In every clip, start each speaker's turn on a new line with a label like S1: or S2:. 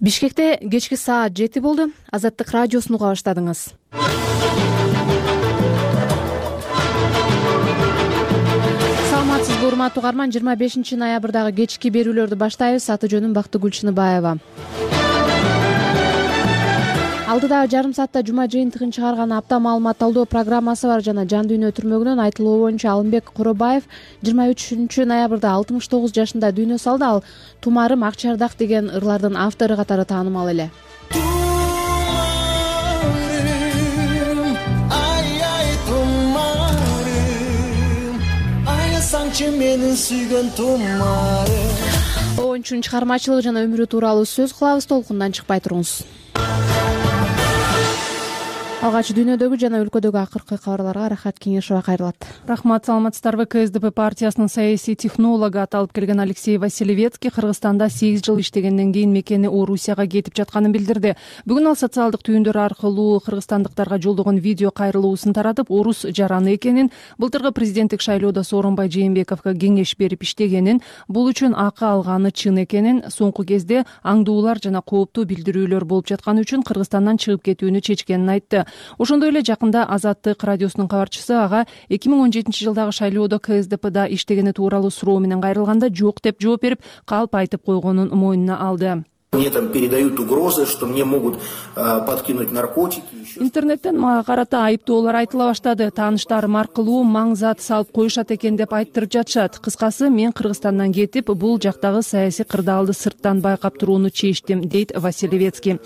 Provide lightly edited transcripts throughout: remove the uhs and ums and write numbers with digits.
S1: Бишкекте кечки саат 7 болду. Азаттык радиосун уга баштадыңыз. Саламатсызбы урматтуу угарман, 25 ноябрдагы кечки берүүлөрдү баштайбыз. Аты жөнүм Бактыгүл Чыныбаева. Алдыда жарым саатта жума жыйынтыгын чыгарган апта маалымат талдоо программасы бар жана жан дүйнө түрмөгүнөн айтылуу боюнча Алымбек Коробаев 23 ноябрда 69 жашында дүйнө салды. Ал Тумарым Акчардак деген ырлардын автору катары таанымал эле.
S2: Менин сүйгөн тумарым.
S1: Оюнчунун чыгармачылыгы жана өмүрү тууралуу сөз кылабыз, толкундан чыкпай туруңуз. Алгач дүйнөдөгү жана өлкөдөгү акыркы кабарларга Рахат Кеңешова кайрылат.
S3: Рахмат, саламатсыздарбы. КСДП партиясынын саясий технологу аталып келген Алексей Василевецкий Кыргызстанда 8 жыл иштегенден кийин мекени Орусияга кетип жатканын билдирди. Бүгүн ал социалдык түйүндөр аркылуу кыргызстандыктарга жолдогон видео кайрылуусун таратып, орус жараны экенин, былтыркы президенттик шайлоодо Сооронбай Жээнбековго кеңеш берип иштегенин, бул үчүн акы алганы чын экенин, соңку кезде аңдуулар жана кооптуу билдирүүлөр болуп жатканы үчүн Кыргызстандан чыгып кетүүнү чечкенин айтты. Ошондой эле жакында Азаттык радиосунун кабарчысы ага 2017 жылдагы шайлоодо КСДПда иштегени тууралуу суроо менен кайрылганда жок деп жооп берип, калп айтып койгонун мойнуна алды.
S2: Мне там передают угрозы, что мне могут подкинуть наркотики.
S3: Интернеттен мага карата айыптоолор айтыла баштады. Тааныштарым аркылуу маң зат салып коюшат экен деп айттырып жатышат. Кыскасы, мен Кыргызстандан кетип, бул жактагы саясий кырдаалды сырттан байкап турууну чечтим, дейт Василевецкий.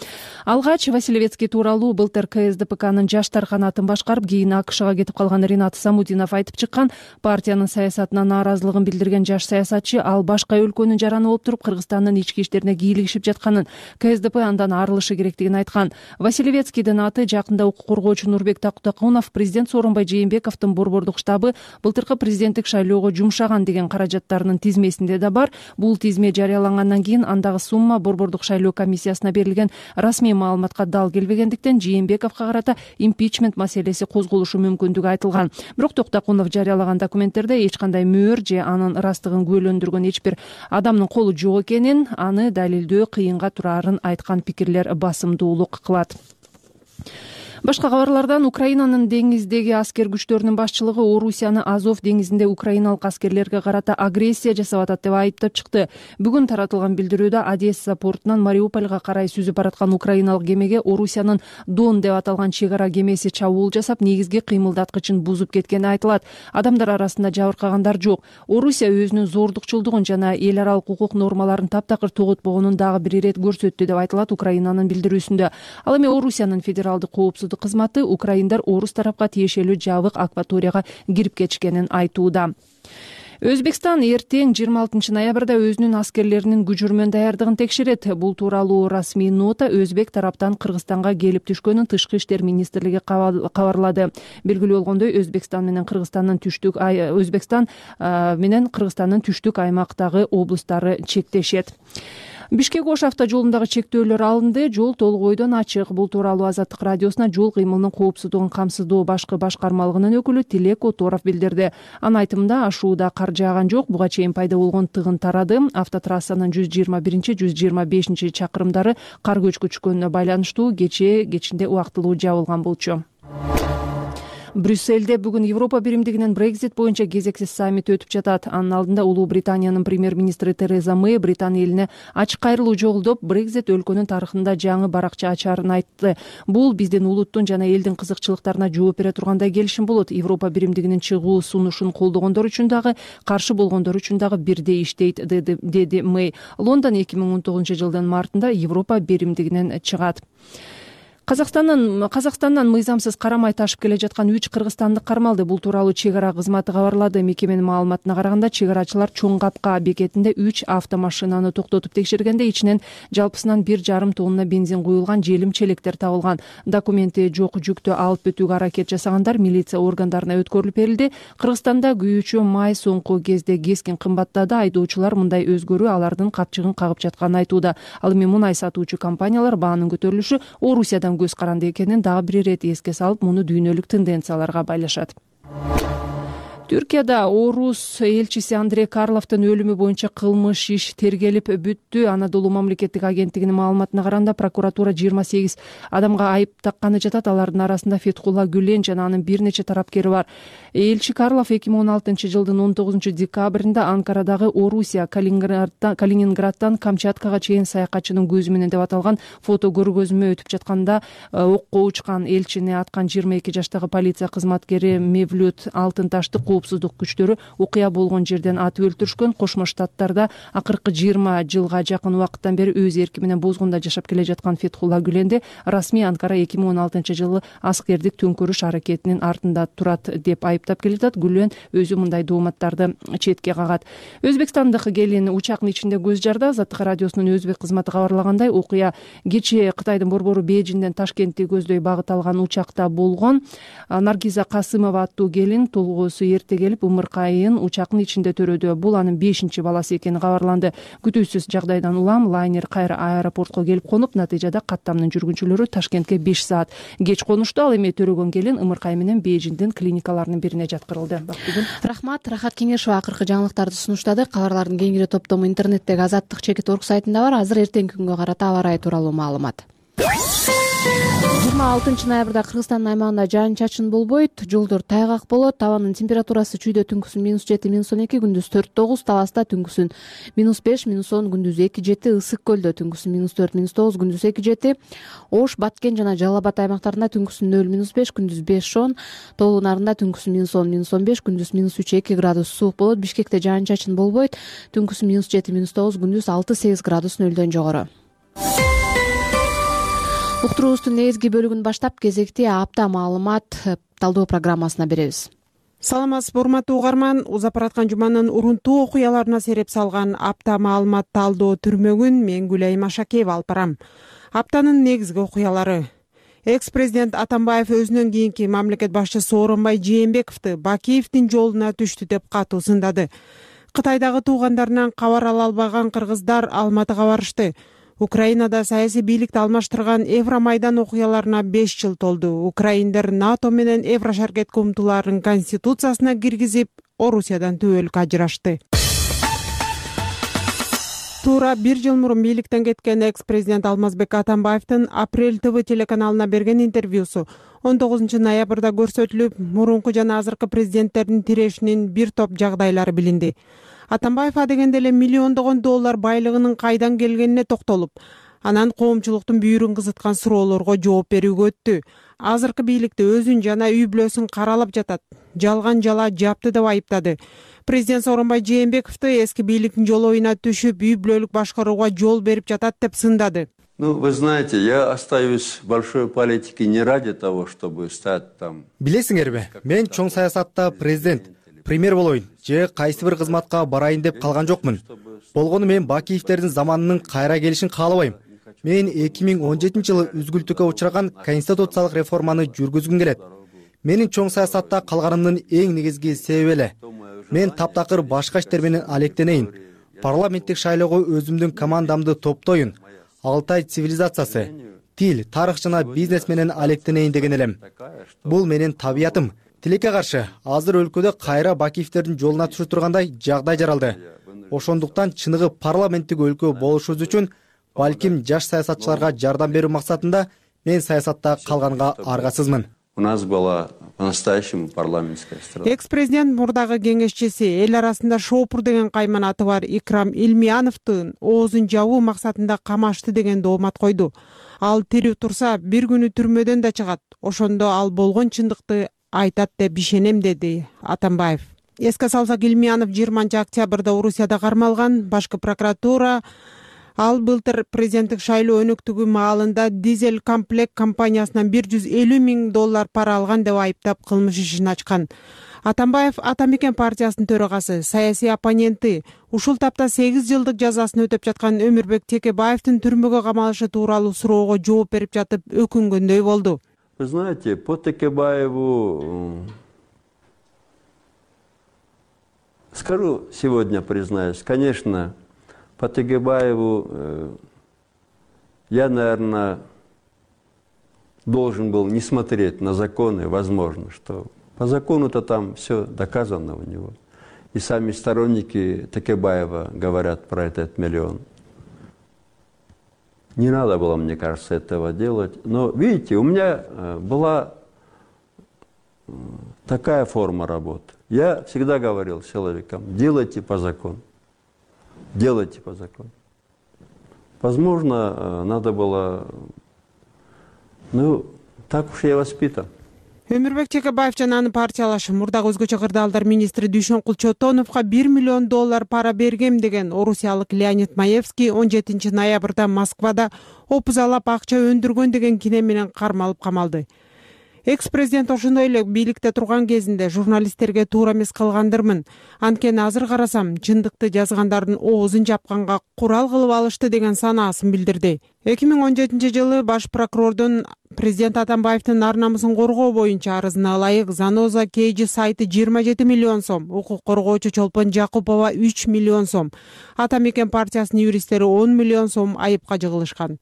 S3: Алгач Василевецкий тууралуу былтыр КСДПнын жаштар канатын башкарып, кийин АКШга кетип калган Ринат Самудинов айтып чыккан. Партиянын саясатына нааразылыгын билдирген жаш саясатчы ал башка өлкөнүн жараны болуп туруп, Кыргызстандын ички иштерине кийлигишип жатканын, КСДП андан арылышы керектигин айткан. Василевецкийдин аты жакында укук коргоочу Нурбек Тактакунов президент Сооронбай Жээнбековдун борбордук штабы былтыркы президенттик шайлоого жумшаган деген каражаттарынын тизмесинде да бар. Бул тизме жарыялангандан кийин андагы сумма борбордук шайлоо комиссиясына берилген расмий маалыматка дал келбегендиктен Жээнбековго карата импичмент маселеси козголушу мүмкүндүгү айтылган. Бирок Тактакунов жарыялаган документтерде эч кандай мөөр же анын ырастыгын күбөлөндүргөн эч бир адамдын колу жок экенин, аны далилдөө кыйынга турарын айткан пикирлер басымдуулук кылат. Башка кабарлардан Украинанын деңиздеги аскер күчтөрүнүн башчылыгы Орусияны Азов деңизинде украиналык аскерлерге карата агрессия жасап атат деп айыптап чыкты. Бүгүн таратылган билдирүүдө Одесса портунан Мариупольга карай сүзүп бараткан украиналык кемеге Орусиянын Дон деп аталган чек ара кемеси чабуул жасап, негизги кыймылдаткычын бузуп кеткени айтылат. Адамдар арасында жабыркагандар жок. Орусия өзүнүн зордукчулдугун жана эл аралык укук нормаларын таптакыр тоготпогонун дагы бир ирет көрсөттү деп айтылат Украинанын билдирүүсүндө. Ал эми Орусиянын федералдык коопсуздук кызматы украиндар орус тарапка тиешелүү жабык акваторияга кирип кетишкенин айтууда. Өзбекстан эртең 26 ноябрда өзүнүн аскерлеринин күжүрмөн даярдыгын текшерет. Бул тууралуу расмий нота Өзбек тараптан Кыргызстанга келип түшкөнүн Тышкы иштер министрлиги кабарлады. Белгилүү болгондой, Өзбекстан менен Кыргызстандын түштүк аймактагы облустары чектешет. Бишкек-Ош автожолундагы чектөөлөр алынды, жол толук ойдон ачык. Бул тууралуу Азаттык радиосуна жол кыймылынын коопсуздугун камсыздоо башкы башкармалыгынын өкүлү Тилек Оторов билдирди. Анын айтымында, ашууда кар жааган жок, буга чейин пайда болгон тыгын тарады. Автотрассанын 121-125 чакырымдары кар көчкүчкөнүнө байланыштуу кечинде убактылуу жабылган болчу. Брюссельде бүгүн Европа биримдигинин Brexit боюнча кезексиз саммити өтүп жатат. Анын алдында Улуу Британиянын премьер-министри Тереза Мэй Британия элине ачык кайрылуу жолдоп, Brexit өлкөнүн тарыхында жаңы баракча ачарын айтты. Бул биздин улуттун жана элдин кызыкчылыктарына жооп бере тургандай келишим болот. Европа биримдигинин чыгуу сунушун колдогондор үчүн дагы, каршы болгондор үчүн дагы бирдей иштейт, деди Мэй. Лондон 2019 жылдын мартында Европа биримдигинен чыгат. Казакстандан мыйзамсыз карамай ташып келе жаткан 3 кыргызстандык кармалды. Бул тууралуу чек ара кызматы кабарлады. Мекеменин маалыматына караганда, чек арачылар Чоң Капка бекетинде 3 автомашинаны токтотуп текшергенде ичинен жалпысынан 1,5 тонна бензин куюлган желим челектер табылган. Документи жок жүктү алып өтүүгө аракет жасагандар милиция органдарына өткөрүлүп берилди. Кыргызстанда күйүүчү май соңку кезде кескин кымбаттады. Айдоочулар мындай өзгөрүү алардын капчыгын кагып жатканын айтууда. Ал эми мунай сатуучу компаниялар баанын көтөрүлүшү Орусиядан көз каранды экенин дагы бир ирет эске салып, муну дүйнөлүк тенденцияларга байлашат. Түркияда орус элчиси Андрей Карловдун өлүмү боюнча кылмыш иш тергелип бүттү. Анадолу мамлекеттик агенттигинин маалыматына караганда прокуратура 28 адамга айып такканы жатат. Алардын арасында Фетхулла Гүлен жана анын бир нече тарапкери бар. Элчи Карлов 2016 жылдын 19 декабрында Анкарадагы Орусия Калининградтан Камчаткага чейин саякатчынын көзү менен деп аталган фото көргөзмө өтүп жатканда окко учкан элчини аткан 22 жаштагы полиция кызматкери Мевлют Алтынташты коопсуздук күчтөрү окуя болгон жерден атып өлтүрүшкөн. Кошмо Штаттарда акыркы 20 жылга жакын убакыттан бери өз эрки менен бозгунда жашап келе жаткан Фетхулла Гүленди расмий Анкара 2016 жылы аскердик төңкөрүш аракетинин артында турат деп айыптап келатат. Гүлен өзү мындай дооматтарды четке кагат. Өзбекстандык келин учактын ичинде көз жарды. Азаттык радиосунун өзбек кызматы кабарлагандай, окуя кечээ Кытайдын борбору Бейжиңден Ташкентти көздөй багыт алган учакта болгон. Наргиза Касымова аттуу келин толгоосу эрте келип ымыркайын учактын ичинде төрөдү. Бул анын 5-чи баласы экени кабарланды. Күтүүсүз жагдайдан улам лайнер кайра аэропортко келип конуп, натыйжада каттамдын жүргүнчүлөрү Ташкентке 5 саат кеч конушту. Ал эми төрөгөн келин ымыркай менен Бейжиңдин клиникаларынын бирине жаткырылды.
S1: Рахмат. Рахат Кеңешова акыркы жаңылыктарды сунуштады. Кабарлардын кеңири топтому интернеттеги Азаттык.org сайтында бар. Азыр эртеңки күнгө карата аба ырайы тууралуу маалымат. 26 ноябрда Кыргызстандын аймагында жаан-чачын болбойт, жолдор тайгак болот. Табанын температурасы чүйдө түнкүсүн -7, -12, күндүз 4-9, Таласта түнкүсүн -5, -10, күндүз 2-7, Ысык көлдө түнкүсүн -4, -9, күндүз 2-7, Ош, Баткен жана Жалал Абад аймактарында түнкүсүн 0-5, күндүз 5-10, Тоолуу Нарында түнкүсүн -10, -15, күндүз -3-2 градус суук болот. Бишкекте жаан-чачын болбойт, түнкүсүн -7, -9, күндүз 6-8 градус нөлдөн жогору. Уктуруубуздун негизги бөлүгүн баштап кезекти апта маалымат талдоо программасына беребиз.
S4: Саламатсызбы, урматтуу угарман. Узап бараткан жуманын урунтуу окуяларына сереп салган апта маалымат талдоо түрмөгүн мен Гүлайым Ашакеева алып барам. Аптанын негизги окуялары: экс-президент Атамбаев өзүнөн кийинки мамлекет башчысы Сооронбай Жээнбековду Бакиевдин жолуна түштү деп катуу сындады. Кытайдагы туугандарынан кабар ала албаган кыргыздар Алматыга барышты. Украинада саясий бийликти алмаштырган Евромайдан окуяларына 5 жыл толду. Украиндер НАТО менен Еврошаркетке умтулаарын конституциясына киргизип, Орусиядан түбөлүк ажырашты. Туура 1 жыл мурун бийликтен кеткен экс-президент Алмазбек Атамбаевдин Апрель ТВ телеканалына берген интервьюсу 19 ноябрда көрсөтүлүп, мурунку жана азыркы президенттердин тирешинин бир топ жагдайлары билинди. Атамбаев адегенде эле миллиондогон доллар байлыгынын кайдан келгенине токтолуп, анан коомчулуктун бүйүрүн кызыткан суроолорго жооп берүүгө өттү. Азыркы бийликти өзүн жана үй бүлөсүн каралап жатат, жалган жала жапты деп айыптады. Президент Сооронбай Жээнбековду эски бийликтин жолоюна түшүп, үй бүлөлүк башкарууга жол берип жатат деп сындады.
S5: Вы знаете, я остаюсь в большой политике не ради того, чтобы стать там.
S6: Билесиңерби, мен чоң саясатта президент, премьер болоюн же кайсы бир кызматка барайын деп калган жокмун. Болгону мен Бакиевдердин заманынын кайра келишин каалабайм. Мен 2017 жылы үзгүлтүккө учураган конституциялык реформаны жүргүзгүм келет. Менин чоң саясатта калганымдын эң негизги себеби эле. Мен таптакыр башка иштер менен алектенейин. Парламенттик шайлоого өзүмдүн командамды топтоюн. Алтай цивилизациясы, тил, тарых жана бизнес менен алектенейин деген элем. Бул менин табиятым. Тилекке каршы, азыр өлкөдө кайра Бакиевдердин жолуна түшө тургандай жагдай жаралды. Ошондуктан чыныгы парламенттик өлкө болушубуз үчүн, балким жаш саясатчыларга жардам берүү максатында мен саясатта калганга аргасызмын.
S5: У нас была по-настоящему парламентская страна.
S4: Экс-президент мурдагы кеңешчиси, эл арасында шоопур деген кайман аты бар Икрам Илмияновдун оозун жабуу максатында камашты деген доомат койду. Ал тирүү турса, бир күнү түрмөдөн да чыгат. Ошондо ал болгон чындыкты айтат деп ишенем, деди Атамбаев. Эске салсак, Илмиянов 20 октябрда Орусияда кармалган. Башкы прокуратура ал былтыр президенттик шайлоо өнөктүгү маалында Дизель комплект компаниясынан 150 000 доллар пара алган деп айыптап кылмыш ишин ачкан. Атамбаев Атамекен партиясынын төрагасы, саясий оппоненти, ушул тапта 8 жылдык жазасын өтөп жаткан Өмүрбек Текебаевдин түрмөгө камалышы тууралуу суроого жооп берип жатып өкүнгөндөй болду.
S5: Вы знаете, по Текебаеву, скажу сегодня, признаюсь, конечно, по Текебаеву я, наверное, должен был не смотреть на законы, возможно, что По закону-то там все доказано у него. И сами сторонники Текебаева говорят про этот миллион. Не надо было, мне кажется, этого делать. Но, видите, у меня была такая форма работы. Я всегда говорил с человеком: делайте по закону. Делайте по закону. Возможно, надо было... так уж я воспитан.
S4: Өмүрбек Чекебаев жана анын партиялашы мурдагы өзгөчө кырдаалдар министри Дүйшөнкул Чотоновго $1 миллион пара бергем деген орусиялык Леонид Маевский 17 ноябрда Москвада опузалап акча өндүргөн деген кине менен кармалып камалды. Экс-президент ошондой эле бийликте турган кезинде журналисттерге туура эмес кылгандырмын. Анткени азыр карасам, чындыкты жазгандардын оозун жапканга курал кылып алышты деген санаасын билдирди. 2017 жылы баш прокурордун президент Атамбаевдин ар-намысын коргоо боюнча арызына ылайык Заноза Кейджи сайты 27 миллион сом, укук коргоочу Чолпон Жакупова 3 миллион сом, Ата Мекен партиясынын юристтери 10 миллион сом айыпка жыгылышкан.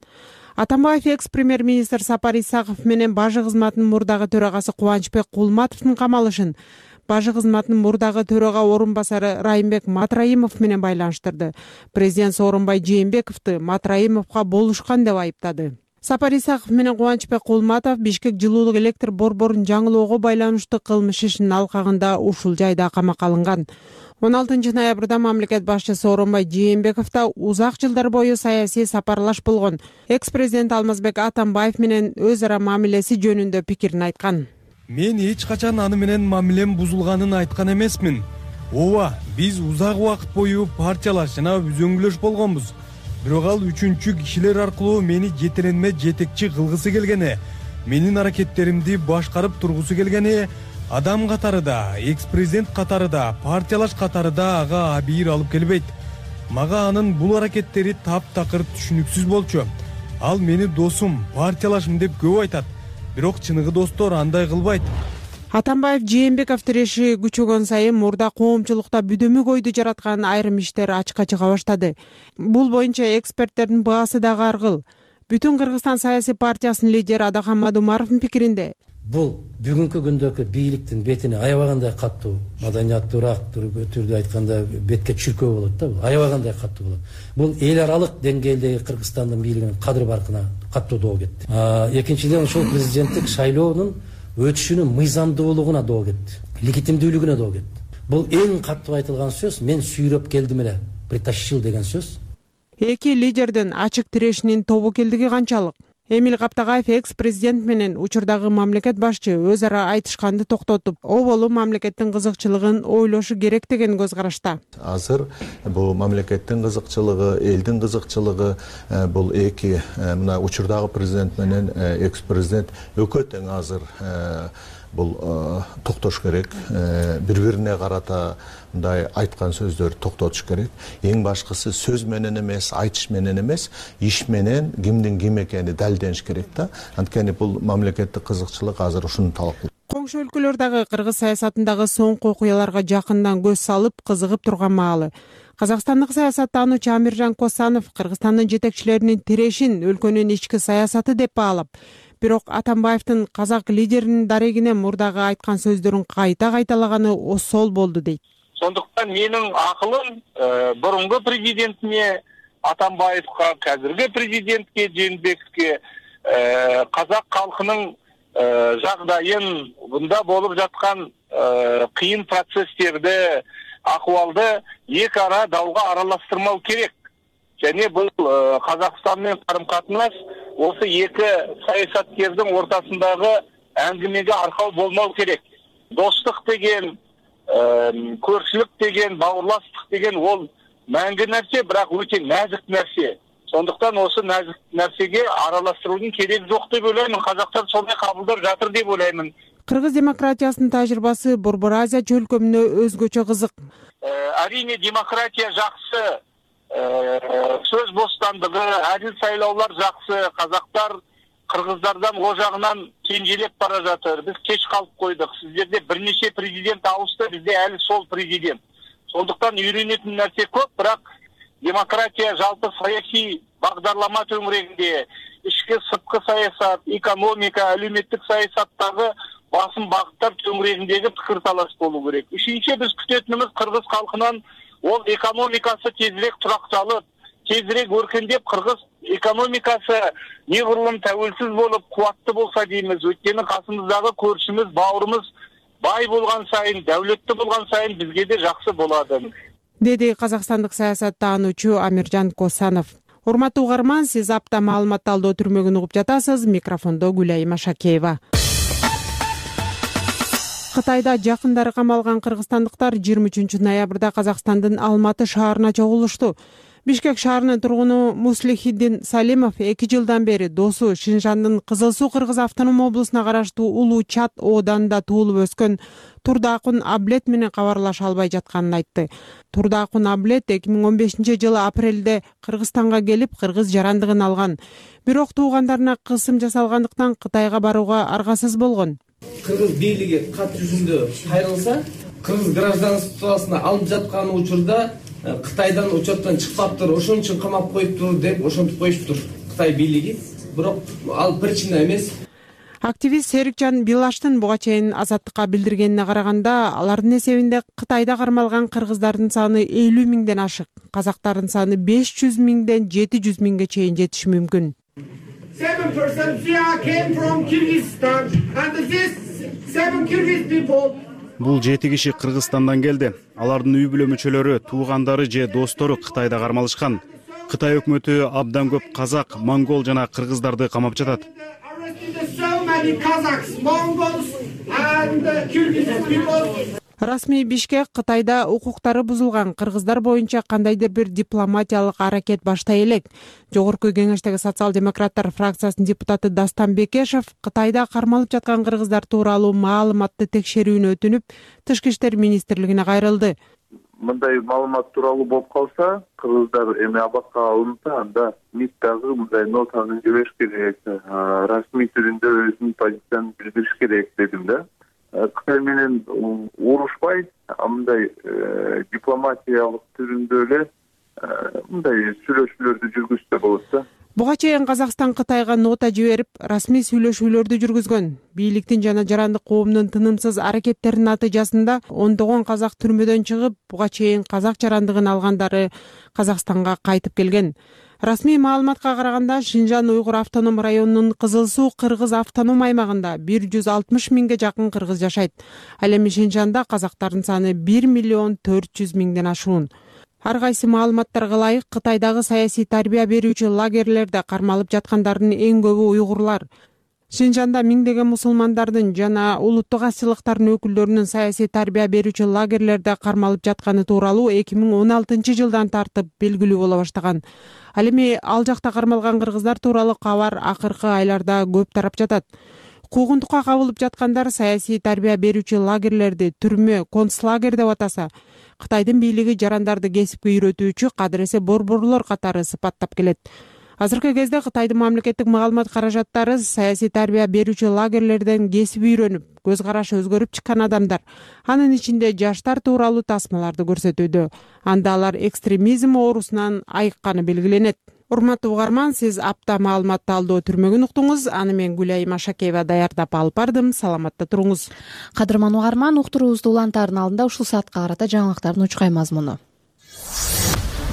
S4: Атамбаев экс-премьер-министр Сапар Исаков менен бажы кызматынын мурдагы төрагасы Кубанычбек Кулматовдун камалышын бажы кызматынын мурдагы төрага орун басары Райымбек Матраимов менен байланыштырды. Президент Сооронбай Жээнбековду Матраимовго болушкан деп айыптады. Сапар Исаков менен Кубанычбек Кулматов Бишкек жылуулук электр борборун жаңылоого байланыштуу кылмыш ишинин алкагында ушул жайда камакка алынган. 16 ноябрда мамлекет башчысы Сооронбай Жээнбековдо узак жылдар бою саясий сапарлаш болгон экс-президент Алмазбек Атамбаев менен өз ара мамилеси жөнүндө пикирин айткан.
S7: Мен эч качан аны менен мамилем бузулганын айткан эмесмин. Ооба, биз узак убакыт бою партиялаш жана үзөңгүлөш болгонбуз. Бирок ал үчүнчү кишилер аркылуу мени жетиренме жетекчи кылгысы келгени, менин аракеттеримди башкарып тургусу келгени, адам катары да, экс-президент катары да, партиялаш катары да ага абийир алып келбейт. Мага анын бул аракеттери таптакыр түшүнүксүз болчу. Ал мени досум, партиялашым деп көп айтат. Бирок чыныгы достор андай кылбайт.
S4: Атамбаев Жээнбеков тиреши күчөгөн сайын мурда коомчулукта бүдөмүк ойду жараткан айрым иштер ачыкка чыга баштады. Бул боюнча эксперттердин баасы дагы аргыл. Бүтүн Кыргызстан саясий партиясынын лидери Адахам Мадумаровдун пикиринде
S8: бул бүгүнкү күндөгү бийликтин бетине аябагандай каттуу, маданияттуураак түрдө айтканда бетке чүркөө болот да, аябагандай каттуу болот. Бул эл аралык деңгээлдеги Кыргызстандын бийлигинин кадыр баркына каттуу доо кетти. Экинчиден ушул президенттик шайлоонун өтүшүнүн мыйзамдуулугуна доо кетти, легитимдүүлүгүнө доо кетти. Бул эң каттуу айтылган сөз, мен сүйрөп келдим эле, притащил деген сөз.
S4: Эки лидердин ачык тирешинин тобокелдиги канчалык? Эмил Каптагаев экс-президент менен учурдагы мамлекет башчы өз ара айтышканды токтотуп, оболу мамлекеттин кызыкчылыгын ойлошу керек деген көз карашта.
S9: Азыр бул мамлекеттин кызыкчылыгы, элдин кызыкчылыгы, бул эки мына учурдагы президент менен экс-президент өкө тең азыр бул токтош керек, бири-бирине карата мындай айткан сөздөрдү токтотуш керек. Эң башкысы сөз менен эмес, айтыш менен эмес, иш менен кимдин ким экени далилдениш керек да. Анткени бул мамлекеттик кызыкчылык азыр ушуну талап кылат.
S4: Коңшу өлкөлөр дагы кыргыз саясатындагы соңку окуяларга жакындан көз салып, кызыгып турган маалы. Казакстандык саясаттануучу Амиржан Косанов Кыргызстандын жетекчилеринин тирешин өлкөнүн ички саясаты деп баалап, бирок Атамбаевдин казак лидеринин дарегине мурдагы айткан сөздөрүн кайта кайталаганы осол болду дейт.
S10: Сондуктан менин акылым бурунку президентине Атамбаевга, азыркы президентке Жээнбековке казак калкынын жагдайын, мында болуп жаткан кыйын процесстерди, акыбалды эки ара далга аралаштырмау керек. Және бул Казакстан менен карым-катнаш осы эки саясаткердин ортасындагы әңгимеге аркау болмау керек. Достук деген, көршүлүк деген, бауырластык деген ол мәңгі нәрсе, бірақ өте нәзік нәрсе. Сондықтан осы нәзік нәрсеге араластырудың керек жоқ деп ойлаймын. Қазақтар солай қабылдап жатыр деп ойлаймын.
S4: Кыргыз демократиясынын тажрыйбасы Борбор Азия чөлкөмүнө өзгөчө кызык.
S10: Әрине демократия жақсы, сөз бостандыгы, адил сайлаулар жақсы. Қазақтар кыргыздардан о жагынан кенжелеп бара жатыр. Біз кеч калып койдук. Сиздерде бирнеше президент ауысты, бизде әлі сол президент. Сондықтан үйренетін нәрсе көп, бірақ демократия жалпы саяси бағдарлама төңірегінде, ішкі сыртқы саясат, экономика, әлеуметтік саясаттағы басым багыттар төңүрегиндеги пикир талаш болуу керек. Ишинче биз күтөтүнүбүз кыргыз калкынан ол экономикасы тезирээк туракталып, тезирээк өркөндөп, кыргыз экономикасы негырлым тәуелсиз болуп, кубаттуу болса деймиз. Өткөнү касымыздагы көршүбүз, бауырымыз бай болгон сайын, дәүлөттүү болгон сайын бизге де жакшы болот,
S4: деди казакстандык саясаттануучу Амиржан Косанов. Урматтуу угарман, сиз апта маалымат талдоо түрмөгүн угуп жатасыз. Микрофондо Гүлайым Ашакеева. Кытайда жакындары камалган кыргызстандыктар 23 ноябрда Казакстандын Алматы шаарына чогулушту. Бишкек шаарынын тургуну Муслихиддин Салимов 2 жылдан бери досу Шинжандын Кызыл Суу Кыргыз автоном облусуна караштуу Улуу Чат ооданында туулуп өскөн Турдаакун Аблет менен кабарлаша албай жатканын айтты. Турдаакун Аблет 2015-жылы апрелде Кыргызстанга келип, кыргыз жарандыгын алган. Бирок туугандарына кысым жасалгандыктан Кытайга барууга аргасыз болгон.
S11: Кыргыз бийлиги кат жүзүндө кайрылса, кыргыз гражданствосуна алып жаткан учурда Кытайдан учеттен чыкпаптыр, ошон үчүн камап коюптур деп ошентип коюштур Кытай бийлиги. Бирок ал причина эмес.
S4: Активист Серикжан Билаштын буга чейин Азаттыкка билдиргенине караганда, алардын эсебинде Кытайда кармалган кыргыздардын саны 50 миңден ашык, казактардын саны 500 миңден 700 миңге чейин жетиши мүмкүн.
S12: 7% came from Kyrgyzstan and this 7 Kyrgyz people.
S13: Бул 7 киши Кыргызстандан келди. Алардын үй бүлө мүчөлөрү, туугандары же достору Кытайда кармалышкан. Кытай өкмөтү абдан көп казак, монгол жана кыргыздарды камап жатат.
S4: Расмий Бишкек Кытайда укуктары бузулган кыргыздар боюнча кандайдыр бир дипломатиялык аракет баштай элек. Жогорку кеңештеги социал-демократтар фракциясынын депутаты Дастан Бекешев Кытайда кармалып жаткан кыргыздар тууралуу маалыматты текшерүүнү өтүнүп, Тышкы иштер министрлигине кайрылды.
S14: Мындай маалымат тууралуу болуп калса, кыргыздар эми абакка алынса, анда МИД дагы мындай нотаны жибериш керек, расмий түрүндө өзүнүн позициясын билдириш керек дедим да. Кытай менен урушпай, мындай дипломатиялык түрүндө эле мындай сүйлөшүүлөрдү жүргүзсө болот да.
S4: Буга чейин Казакстан Кытайга нота жиберип, расмий сүйлөшүүлөрдү жүргүзгөн. Бийликтин жана жарандык коомдун тынымсыз аракеттеринин натыйжасында ондогон казак түрмөдөн чыгып, буга чейин казак жарандыгын алгандары Казакстанга кайтып келген. Расмий маалыматка караганда, Шинжан Уйгур автоном районунун Кызыл Суу Кыргыз автоном аймагында 160 миңге жакын кыргыз жашайт. Ал эми Шинжанда казактардын саны 1 миллион 400 миңден ашуун. Ар кайсы маалыматтарга ылайык, Кытайдагы саясий тарбия берүүчү лагерлерде кармалып жаткандардын эң көбү уйгурлар. Шинжанда миңдеген мусулмандардын жана улуттук азчылыктардын өкүлдөрүнүн саясий тарбия берүүчү лагерлерде кармалып жатканы тууралуу 2016-жылдан тартып белгилүү боло баштаган. Ал эми ал жакта кармалган кыргыздар тууралуу кабар акыркы айларда көп тарап жатат. Куугунтукка кабылып жаткандар саясий тарбия берүүчү лагерлерди түрмө, концлагерь деп атаса, Кытайдын бийлиги жарандарды кесипке үйрөтүүчү кадыресе борборлор катары сыпаттап келет. Азыркы кезде Кытайдын мамлекеттик маалымат каражаттары саясий тарбия берүүчү лагерлерден кесип үйрөнүп, көз карашы өзгөрүп чыккан адамдар, анын ичинде жаштар тууралуу тасмаларды көрсөтүүдө. Анда алар экстремизм оорусунан айыкканы белгиленет. Урматтуу угарман, сиз апта маалымат талдоо түрмөгүн уктуңуз. Аны мен Гүлайым Ашакеева даярдап алып бардым. Саламатта туруңуз.
S1: Кадырман угарман, уктуруубузду улантаардын алдында ушул саатка карата жаңылыктардын учкай мазмуну.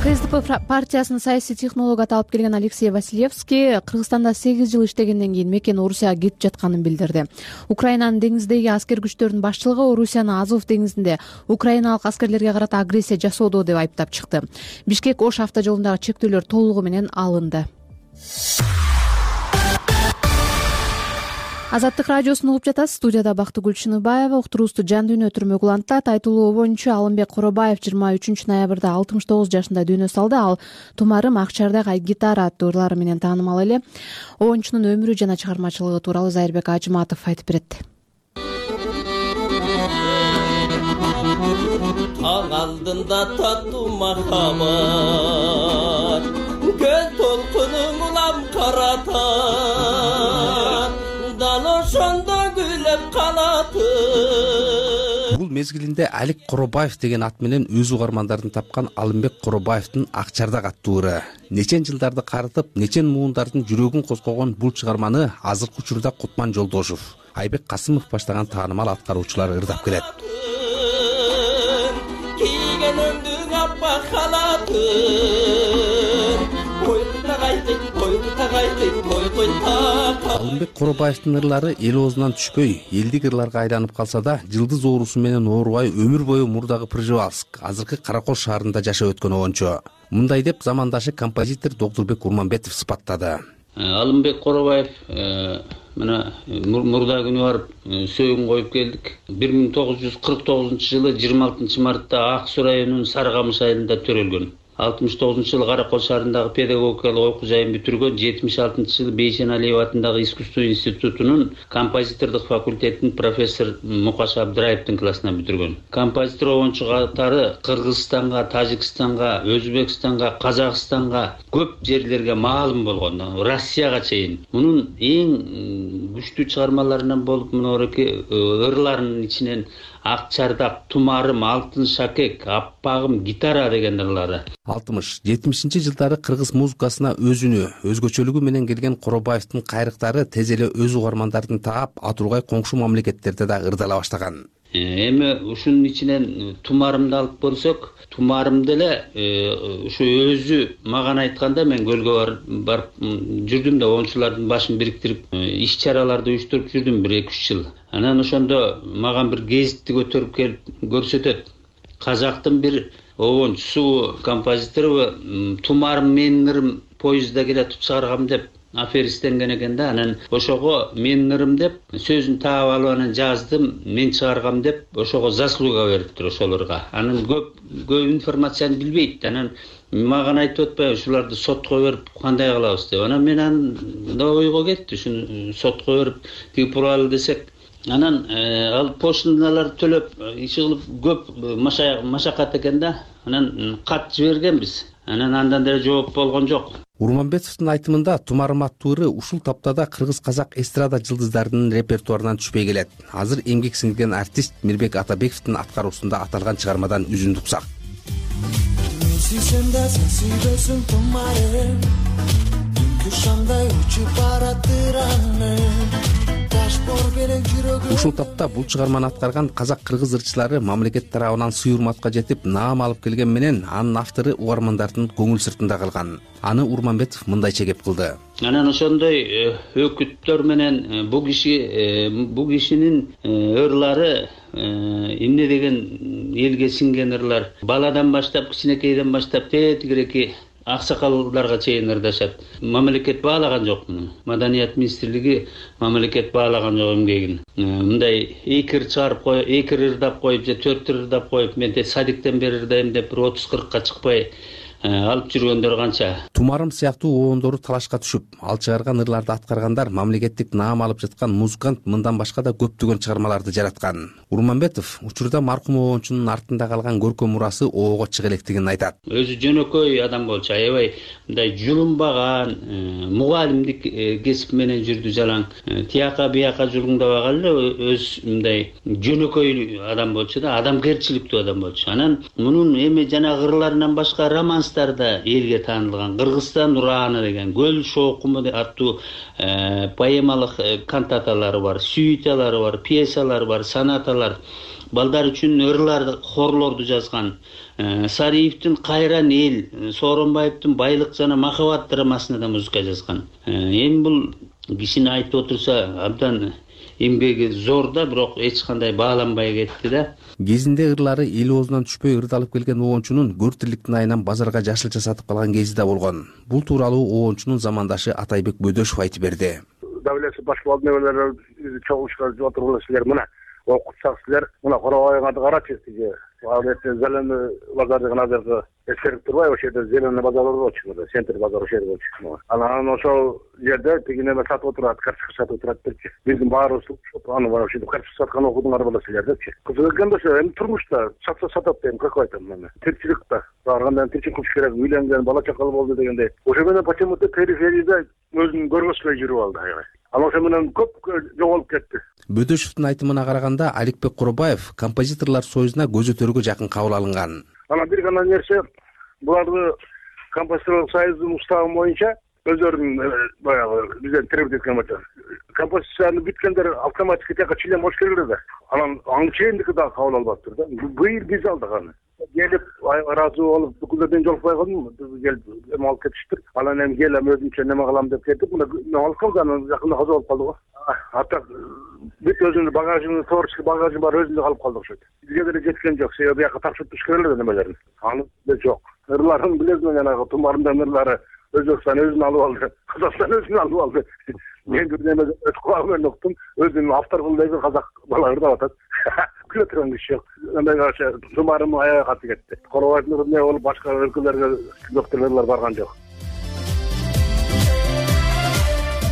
S1: КСДП партиясынын саясий технологу аталып келген Алексей Василевский Кыргызстанда 8 жыл иштегенден кийин мекен Орусияга кетип жатканын билдирди. Украинанын деңиздеги аскер күчтөрүнүн башчылыгы Орусияны Азов деңизинде украиналык аскерлерге карата агрессия жасоодо деп айыптап чыкты. Бишкек Ош автожолундагы чектөөлөр толугу менен алынды. Азаттык радиосун угуп жатасыз. Студияда Бактыгүл Чыныбаева. Уктуруубузду жан дүйнө түрмөгү улантат. Айтылуу боюнча Алымбек Коробаев 23 ноябрда 69 жашында дүйнө салды. Ал Тумарым, Акчардак, Айгитара аттуу ырлары менен таанымал эле. Оюнчунун өмүрү жана чыгармачылыгы тууралуу Зайырбек Ажыматов айтып берет.
S15: Таң алдында таттуу махаббат, көл толкунуң улам каратат, ошондо күлөп калаты.
S6: Бул
S16: мезгилинде Алик Коробаев деген ат менен өз угармандарын тапкан Алымбек Коробаевдин Акчардак аттуу ыры нечен жылдарды карытып, нечен муундардын жүрөгүн козгогон бул чыгарманы азыркы учурда Кутман Жолдошов, Айбек Касымов баштаган таанымал аткаруучулар ырдап келет. Алымбек Коробаевдин ырлары эл оозунан түшпөй, элдик ырларга айланып калса да, жылдыз оорусу менен оорубай өмүр бою мурдагы Пржевальск, азыркы Каракол шаарында жашап өткөн обончу. Мындай деп замандашы композитор Доктурбек Урманбетов сыпаттады.
S17: Алымбек Коробаев мына мурда күнү барып сөөгүн коюп келдик. 1949-жылы 26 мартта Ак Суу районунун Сарыкамыш айылында төрөлгөн. 69-жылы Каракол шаарындагы педагогикалык окуу жайын бүтүргөн. 76-жылы Бейшеналиев атындагы искусство институтунун композитордук факультетинин профессор Мукаш Абдыраевдин классынан бүтүргөн. Композитор обончу катары Кыргызстанга, Тажикстанга, Өзбекстанга, Казакстанга көп жерлерге маалым болгон, Россияга чейин. Мунун эң күчтүү чыгармаларынан болуп мынорки ырларынын ичинен Акчардак, Тумарым, Алтын шакек, Аппагым, Гитара деген ырлары.
S16: 60-70 жылдары кыргыз музыкасына өзүнө, өзгөчөлүгү менен келген Коробаевдин кайрыктары тез эле өз угармандарын таап, атургай коңшу мамлекеттерде да ырдала баштаган.
S17: Эми ушунун ичинен Тумарымды алып көрсөк, Тумарым деле ушу өзү мага айтканда мен көлгө барып жүрдүм да оңчулардын башын бириктирип иш чараларды уюштуруп жүрдүм 1-2 жыл. Анан ошондо мага бир гезитти көтөрүп келип көрсөтөт. Казактын бир обончусу, композитору Тумарым менин ырым поездда келатып чыгаргам деп аферистенген экен да. Анан ошого менин ырым деп сөзүн таап алып анан жаздым, мен чыгаргам деп ошого заслуга бериптир ошолорго. Анан көп информацияны билбейт. Анан мага айтып атпайбы ушуларды сотко берип кандай кылабыз деп. Анан мен анда ойго кетти, ушуну сотко берип тиги буралы десек. Анан ал пошталарды төлөп иш кылып көп машакат экен да. Анан кат жибергенбиз. Анан андан деле жооп болгон жок.
S16: Урманбетовдун айтымында Тумарым аттуу ыры ушул таптада кыргыз-казак эстрада жылдыздарынын репертуарынан түшпөй келет. Азыр эмгек сиңирген артист Мирбек Атабековдун аткаруусунда аталган чыгармадан үзүндү уксак. Ушул тапта бул чыгарманы аткарган казак-кыргыз ырчылары мамлекет тарабынан сый урматка жетип, наам алып келген менен анын автору угармандардын көңүл сыртында калган. Аны Урманбетов мындайча кеп кылды.
S17: Анан ошондой өкүттөр менен бул кишинин ырлары эмне деген элге сиңген ырлар. Баладан баштап, кичинекейден баштап тетигиреки аксакалдарга чейин ырдашат. Мамлекет баалаган жок муну. Маданият министрлиги мамлекет баалаган жок эмгегин. Мындай 2 ыр чыгарып коюп, 2 ыр ырдап коюп же 4 ыр ырдап коюп, мен садиктен бери ырдайм деп 30-40ка чыкпай алып жүргөндөр канча.
S16: Тумарым сыяктуу обондору талашка түшүп, ал чыгарган ырларды аткаргандар мамлекеттик наам алып жаткан музыкант мындан башка да көптөгөн чыгармаларды жараткан. Урманбетов учурда маркум обончунун артында калган көркөм мурасы оого чыга электигин айтат.
S17: Өзү жөнөкөй адам болчу, аябай мындай жулунбаган, мугалимдик кесип менен жүрдү жалаң. Тияка бияка жулуңдабаган эле өз мындай жөнөкөй адам болчу да, адамгерчиликтүү адам болчу. Анан мунун эми жана ырларынан башка романстарда элге таанылган Кыргызстан ураны деген, Көл шоокуму аттуу поэмалык кантаталары бар, сюиталары бар, пьесалары бар, сонаталар. Балдар үчүн ырларды, хорлорду жазган. Сариевдин Кайран эл, Сооронбаевдин Байлык жана махабат драмасына да музыка жазган. Эми бул кишини айтып отурса абдан эмгеги зор да, бирок эч кандай бааланбай кетти да.
S16: Кезинде ырлары эл оозунан түшпөй ырдалып келген обончунун көр тирликтин айынан базарга жашылча сатып калган кези да болгон. Бул тууралуу обончунун замандашы Атайбек Бөдөшов айтып берди.
S18: Давлеси баш болдунелер чогулушка жооп тургула силер мына окутсак силер мына Коробайдын аты карачы тиги Албетте Зеленый базар деген азыркы эскерип турбайбы, ошол жерде Зеленый базар болчу, центр базар ошол жерде болчу. Анан ошол жерде тиги неме сатып отурат, карточка сатып отурат депчи. Биздин баарыбыз аны бар ошентип карточка саткан окудуңар боло силер депчи. Кызык экен да ошо эми турмушта сатса сатат дейм, как айтам мен. Тирчиликте барганда тирчилик кылыш керек, үйлөнгөн, бала чакалы болду дегендей. Ошо менен почему-то периферияда өзүн көргөзбөй жүрүп алды аябай. Ал ошо менен көп жоголуп кетти.
S16: Бөдөшевдин айтымына караганда Аликбек Куробаев композиторлор союзуна көзөтөргө жакын кабыл алынган.
S18: Анан бир гана нерсе, буларды композиторлор союзунун уставы боюнча өздөрүнүн баягы бизден требовать эткени боюнча композицияны бүткөндөр автоматически тияка член болуш керек да. Анан чейиндики дагы кабыл албаптыр да. Быйыл биз алдык аны. Келип ыраазы болуп бүкүлдөрдөн жолукпай калдым. Келип эме алып кетиштир. Анан эми келем өзүмчө неме кылам деп кетип, мына алып калдым. Анан жакында каза болуп калды го. Ата бүт өзүнүн багажын, творческий багажын бар өзүндө калып калды окшойт. Бизге деле жеткен жок. Себеби бияка тапшырып туруш керек эле немелерин. Аны да жок. Ырларын билесиң, жанагы тумарымдан ырлары Өзбекстан өзүн алып алды, Казакстан өзүн алып алды. Мен бир неме өткүлүп менен уктум, өзүнүн автор кылып казак балалар деп атат. Күлө турган киши жок. Андай караша тумарым аягы каты кетти. Коробаевдин эмне болуп башка өлкөлөргө доктурлар барган жок.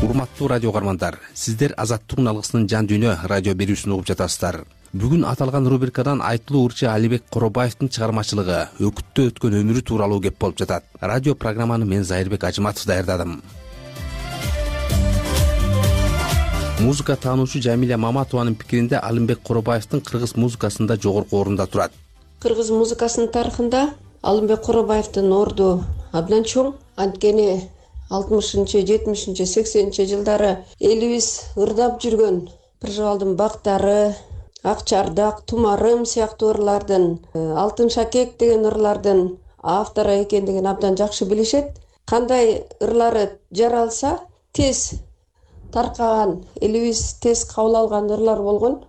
S16: Урматтуу радио угармандар, сиздер Азаттык алгысынын жан дүйнө радио берүүсүн угуп жатасыздар. Бүгүн аталган рубрикадан айтылуу ырчы Алибек Коробаевдин чыгармачылыгы, өкүттө өткөн өмүрү тууралуу кеп болуп жатат. Радио программаны мен Зайырбек Ажыматов даярдадым. Музыка таануучу Жамиля Маматованын пикиринде Алимбек Коробаевдин кыргыз музыкасында жогорку орунда турат.
S19: Кыргыз музыкасынын тарыхында Алимбек Коробаевдин орду абдан чоң. Анткени 60-чы, 70-чи, 80-чи жылдары элибиз ырдап жүргөн Пыржыбалдын бактары, Ак чардак, Тумарым сыяктуу ырлардын, Алтын шакек деген ырлардын автору экендигин абдан жакшы билишет. Кандай ырлары жаралса, тез таркаган, элибиз тез кабыл алган ырлар болгон.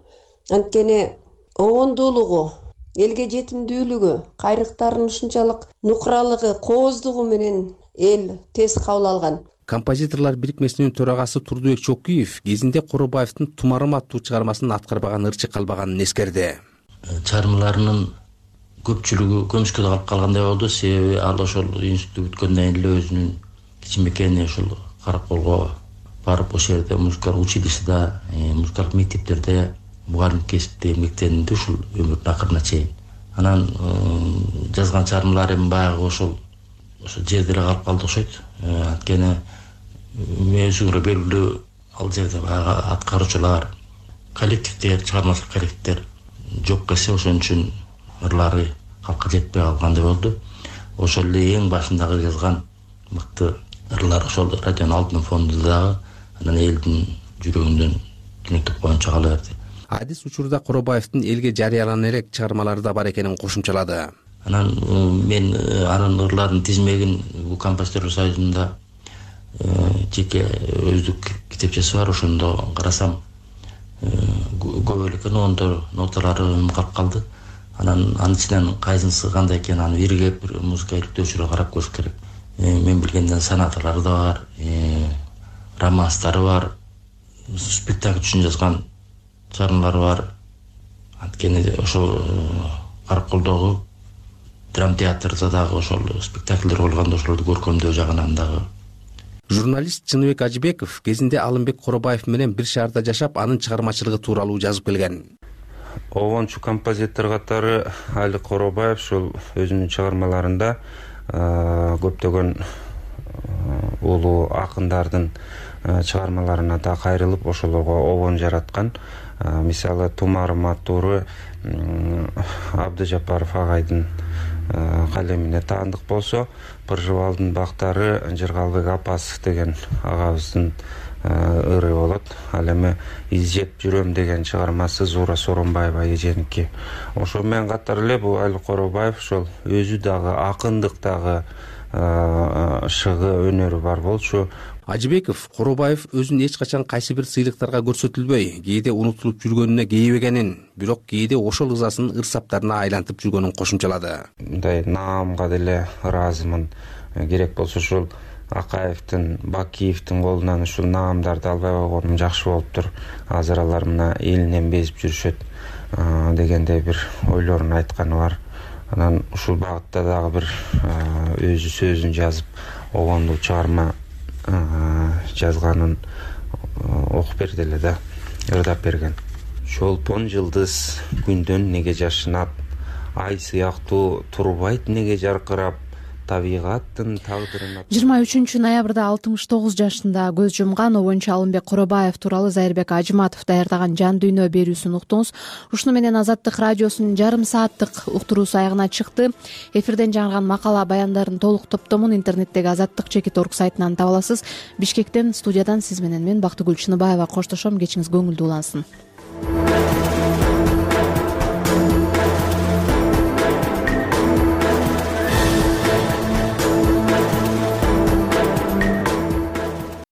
S19: Анткени обондуулугу, элге жетимдүүлүгү, кайрыктарынын ушунчалык нукуралыгы, кооздугу менен эл тез кабыл алган.
S16: Композиторлор бирикмесинин төрагасы Турдубек Чокуев кезинде Коробаевдин Тумарым аттуу чыгармасын аткарбаган ырчы калбаганын эскерди.
S17: Чыгармаларынын көпчүлүгү көмүшкө калып калгандай болду. Себеби ал ошол институтты бүткөндөн кийин эле өзүнүн кичинекей ушул Караколго барып ошол жерде музыкалык училищеде, музыкалык мектептерде мугалим кесипте эмгектенди ушул өмүрүнүн акырына чейин. Анан жазган чыгармалары баягы ошол жерде эле калып калды окшойт. Анткени өзүңөрө белгилүү ал жерде баягы аткаруучулар, коллективдер, чыгармачылык коллективдер жок келсе ошон үчүн ырлары калкка жетпей калгандай болду. Ошол эле эң башындагы жазган мыкты ырлар ошол радионун алтын фондунда дагы анан элдин жүрөгүндөн түнөктөп койгончо кала берди.
S16: Адис учурда Коробаевдин элге жарыялана элек чыгармалары да бар экенин кошумчалады.
S17: Анан мен анын ырларынын тизмегин бул композиторлор союзунда жеке өздүк китепчеси бар, ошондо карасам көп эле экен, ондо ноталары калып калды. Анан анын ичинен кайсынысы кандай экенин аны биргеп бир музыка иликтөөчүлөр карап көрүш керек. Мен билгенден сонаталары да бар, романстары бар, спектакль үчүн жазган чыгармалары бар. Анткени ошол Караколдогу драма театрда дагы ошол спектакльдер болгондо ошолорду көркөмдөө жагынан дагы.
S16: Журналист Чыныбек Ажыбеков кезинде Алимбек Коробаев менен бир шаарда жашап, анын чыгармачылыгы тууралуу жазып келген.
S20: Обончу композитор катары Алик Коробаев ушул өзүнүн чыгармаларында көптөгөн улуу акындардын чыгармаларына да кайрылып, ошолорго обон жараткан. Мисалы Тумарым аттуу Абдыжапаров агайдын калемине таандык болсо, Пыржыбалдын бактары Жыргалбек Апасов деген агабыздын ыры болот. Ал эми изжеп жүрөм деген чыгармасы Зуура Соронбаева эженики. Ошо менен катар эле бул Алик Коробаев ошол өзү дагы акындык дагы шыгы өнөрү бар болчу.
S16: Ажыбеков Коробаев өзүн эч качан кайсы бир сыйлыктарга көрсөтүлбөй, кээде унутулуп жүргөнүнө кейибегенин, бирок кээде ошол ызасын ыр саптарына айлантып жүргөнүн кошумчалады.
S20: Мындай наамга деле ыраазымын. Керек болсо ушул Акаевдин, Бакиевдин колунан ушул наамдарды албай койгонум жакшы болуптур. Азыр алар мына элинен безип жүрүшөт дегендей бир ойлорун айтканы бар. Анан ушул багытта дагы бир өзү сөзүн жазып, обондуу чыгарма жазганын окуп берди эле да, ырдап берген. Чолпон жылдыз күндөн неге жашынат, ай сыяктуу турбайт неге жаркырап, табигаттын тагдырына.
S1: 23 ноябрда 69 жашында көз жумган обончу Алымбек Куробаев тууралуу Зайырбек Ажыматов даярдаган Жан дүйнө берүүсүн уктуңуз. Ушуну менен Азаттык радиосунун жарым сааттык уктуруусу аягына чыкты. Эфирден жаңырган макала баяндардын толук топтомун интернеттеги azattik.org сайтынан таба аласыз. Бишкектен, студиядан сиз менен мен Бактыгүл Чыныбаева коштошом. Кечиңиз көңүлдүү улансын.